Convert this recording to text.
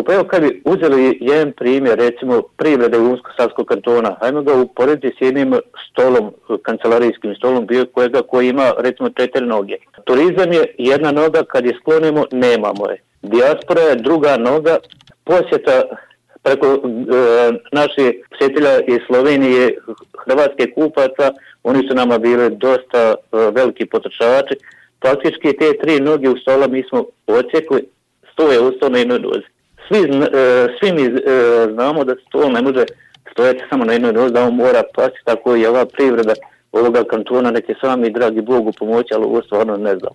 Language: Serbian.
Pa evo kad bi uzeli jedan primjer, recimo privrede Unsko-Savskog kantona, hajmo ga uporediti s jednim stolom, kancelarijskim stolom, koji ima recimo 4 noge. Turizam je jedna noga, kad je sklonimo, nemamo je. Dijaspora je druga noga, posjeta preko naših posjetitelja iz Slovenije, hrvatske kupaca, oni su nama bili dosta veliki potrošači. Praktički te 3 noge u stola mi smo odsjekli, sto je ustao na jednoj nozi. Svi mi znamo da stol ne može stojati samo na jednoj nozi, da on mora pasti, tako i ova privreda ovoga kantona, neke sami dragi Bogu pomoći, ali ovo stvarno ne znam.